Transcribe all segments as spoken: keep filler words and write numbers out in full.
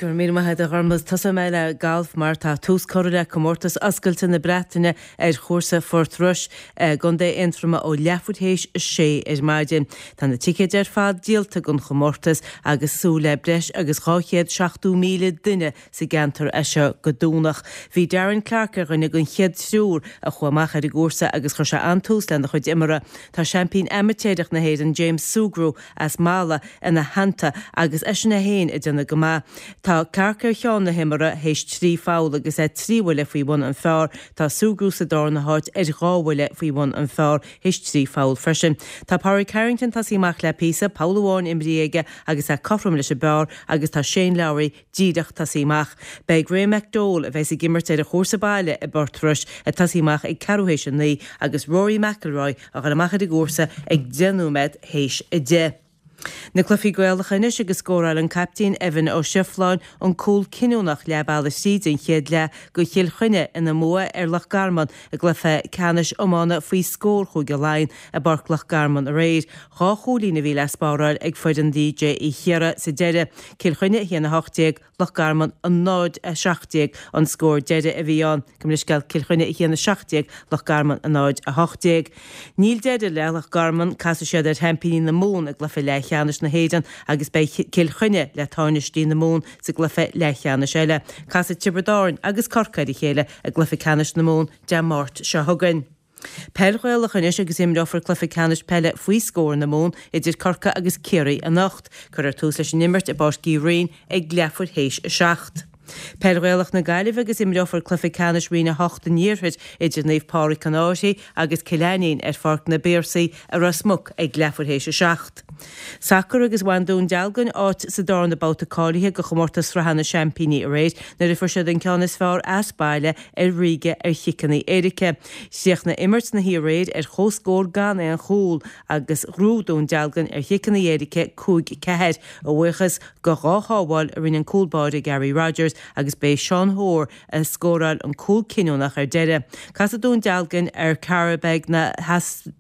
Go raibh míle maith agat a Ghormfhlaith. Tosóidh mé le galf mar tá tús curtha le comórtas oscailte na Breataine ar chúrsa Phort Rois i gContae Aontroma ó leathuair théis a sé ar maidin. Tá na ticéid ar fad díolta don chomórtas agus súil le breis agus dhá chéad seachtó míle duine sa gceantar as seo go Domhnach. Bhí Darren Clarke ar dhuine den chéad triúr a chuaigh amach ar an gcúrsa agus chuir sé an-tús lena chuid imeartha. Tá seaimpín amaitéarach na hÉireann James Sugrue as Mala ina theannta agus eisean é féin ag déanamh go maith. Tá Clarke ar cheann na himeartha théis trí pholl agus é trí bhuille faoi bhun an phar. Tá Sugrue sa darna háit ar dhá bhuille faoi bhun an phar théis trí pholl freisin. Tá Pádraig Harrington tosaithe amach le píosa, poll amháin imrithe aige agus é cothrom leis an bpar agus tá Shane Lowry díreach tosaithe amach. Beidh Graeme McDowell a bheas ag imirt ar a chúrsa baile i bPort Rois ag tosaí amach ag ceathrú théis a naoi agus Rory McIlroy a dhul amach ar an gcúrsa ag deich nóiméad théis a deich. Na cluichí Gaelacha anois agus scóráil an captaen Evan Ó Seifleáin an cúl cinniúnach leath bealaigh tríd an chéad leath do Chill Chainnigh ina mbua ar Loch Garman i gcluiche ceannais iomána faoi scór Chúige Laighean i bPáirc Loch Garman aréir. Dhá chúilín a bhí le spáráil ag foireann D J Uí Chiarraí sa deireadh. Cill Chainnigh a haon a hocht déag, Loch Garman a náid a seacht déag an scór deiridh a bhí ann. Gabh mo leithscéal, Cill Chainnigh a haon a seacht déag, Loch Garman a náid a hocht déag. Níl deireadh le Loch Garman, casfaidh siad ar sheaimpíní na Mumhan i gcluiche leathcheannais na hÉireann agus beidh Cill Chainnigh le tánaistí na Mumhan sa gcluiche leathcheannais eile. Casfaidh Tiobraid Árann agus Corcaigh ar a chéile i gcluiche ceannais na Mumhan Dé Máirt seo chugainn. Peil Ghaelach anois agus imreofar cluiche ceannais peile faoi scór na Mumhan idir Corcaigh agus Ciarraí anocht. Cuirfear tús leis an imirt i bPáirc Uí Rinn ag leathuair théis a seacht. Peil Ghaelach na Gaillimhe agus imreofar cluiche ceannais Roinn a hocht an Iarthair idir Naomh Pádraig an Fhairche agus Cill Ainnín ar Pháirc na bPiarsaigh i Ros Muc ag leathuair théis a seacht. Sacar agus bhain Dún Dealgan áit sa darna babhta cáilithe do chomórtas sraithe na seaimpíní aréir nuair a fuair siad an ceann is fearr as baile ar Ríge ar chiceanna éirice. Chríochnaigh imirt na haréir ar chomhscór gan aon chúl agus ghnóthaigh Dún Dealgan ar chiceanna éirice cúig ceathair a bhuíochas do dhá shábháil a rinne an cúl báire Gary Rogers agus b'é Sean Hoare a scóráil an cúl cinniúnach ar deireadh. Casfaidh Dún Dealgan ar Qarabag na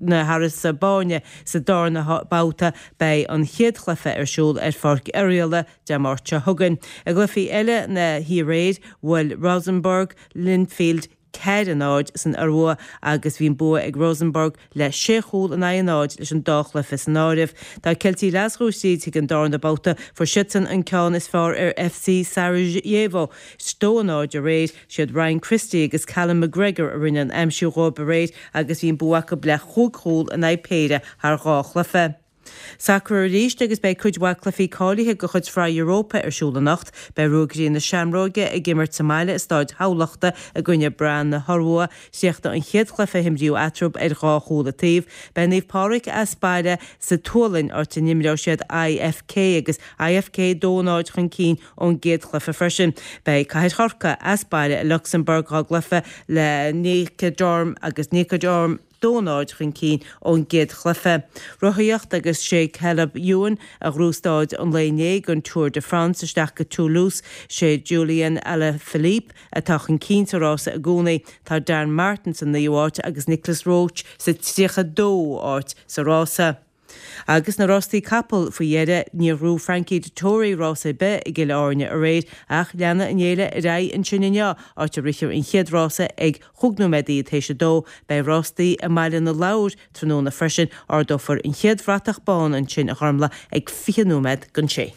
na hAsarbaiseáine sa darna babhta beidh an chéad chluiche ar siúl ar Pháirc Oirialla Dé Máirt seo chugainn. I gcluichí eile na haréir bhuail Rosenborg Linfield ceathair a náid san Iorua agus bhí an bua ag Rosenborg le sé chúl in aghaidh a náid leis an dá chluiche san áireamh. Tá Ceiltigh Ghlaschú tríd chuig an darna babhta fuair siadsan an ceann is fearr ar F C Sarajevo. Dó a náid aréir siad Ryan Christie agus Callum McGregor a rinne an aimsiú dhóibh aréir agus bhí an bua acu le chúig chúl in aghaidh péire thar dhá chluiche. Sacar arís agus beidh cuid mhaith cluichí cáilithe de chuid Shraith Europa ar siúl anocht, beidh Ruagairí na Seamróige ag imirt sa mbaile i Stáid Thamhlachta i gcoinne Brann na hIorua, chríochnaigh an chéad chluiche a himríodh eatarthu ar dhá chúl an taobh, Beidh Naomh Pádraig as baile sa tSualainn áit a n-imreoidh siad I F K agus I F K dó náid chun cinn ón gcéad chluiche freisin. Beidh Cathair Chorcaí as baile i Lucsamburg dhá gcluiche le Nika Dorm agus Nika Dorm dó náid chun cinn ón gcéad chluiche. Rothaíocht agus sé Caleb Ewan a ghnóthaigh stáid an lae inné den Tour de France isteach go Toulouse sé Julian Alaphilippe atá chun cinn sa rása i gcónaí tá Dan Martin sa naoú háit agus Nicolas Roche sa tríocha dó áit sa rása. Agus na rástaí capall faoi dheireadh níor ghnóthaigh Frankie Dettori rás ar bith i gCill Airne aréir ach leanfaidh an fhéile ar aghaidh ansin inniu áit a rithfear an chéad rása ag chúig nóiméad théis a dó, beidh rástaí i mBaile na Lobhar tráthnóna freisin ardófar an chéad bhratach bán ansin a Ghormfhlaith ag fiche nóiméad don sé.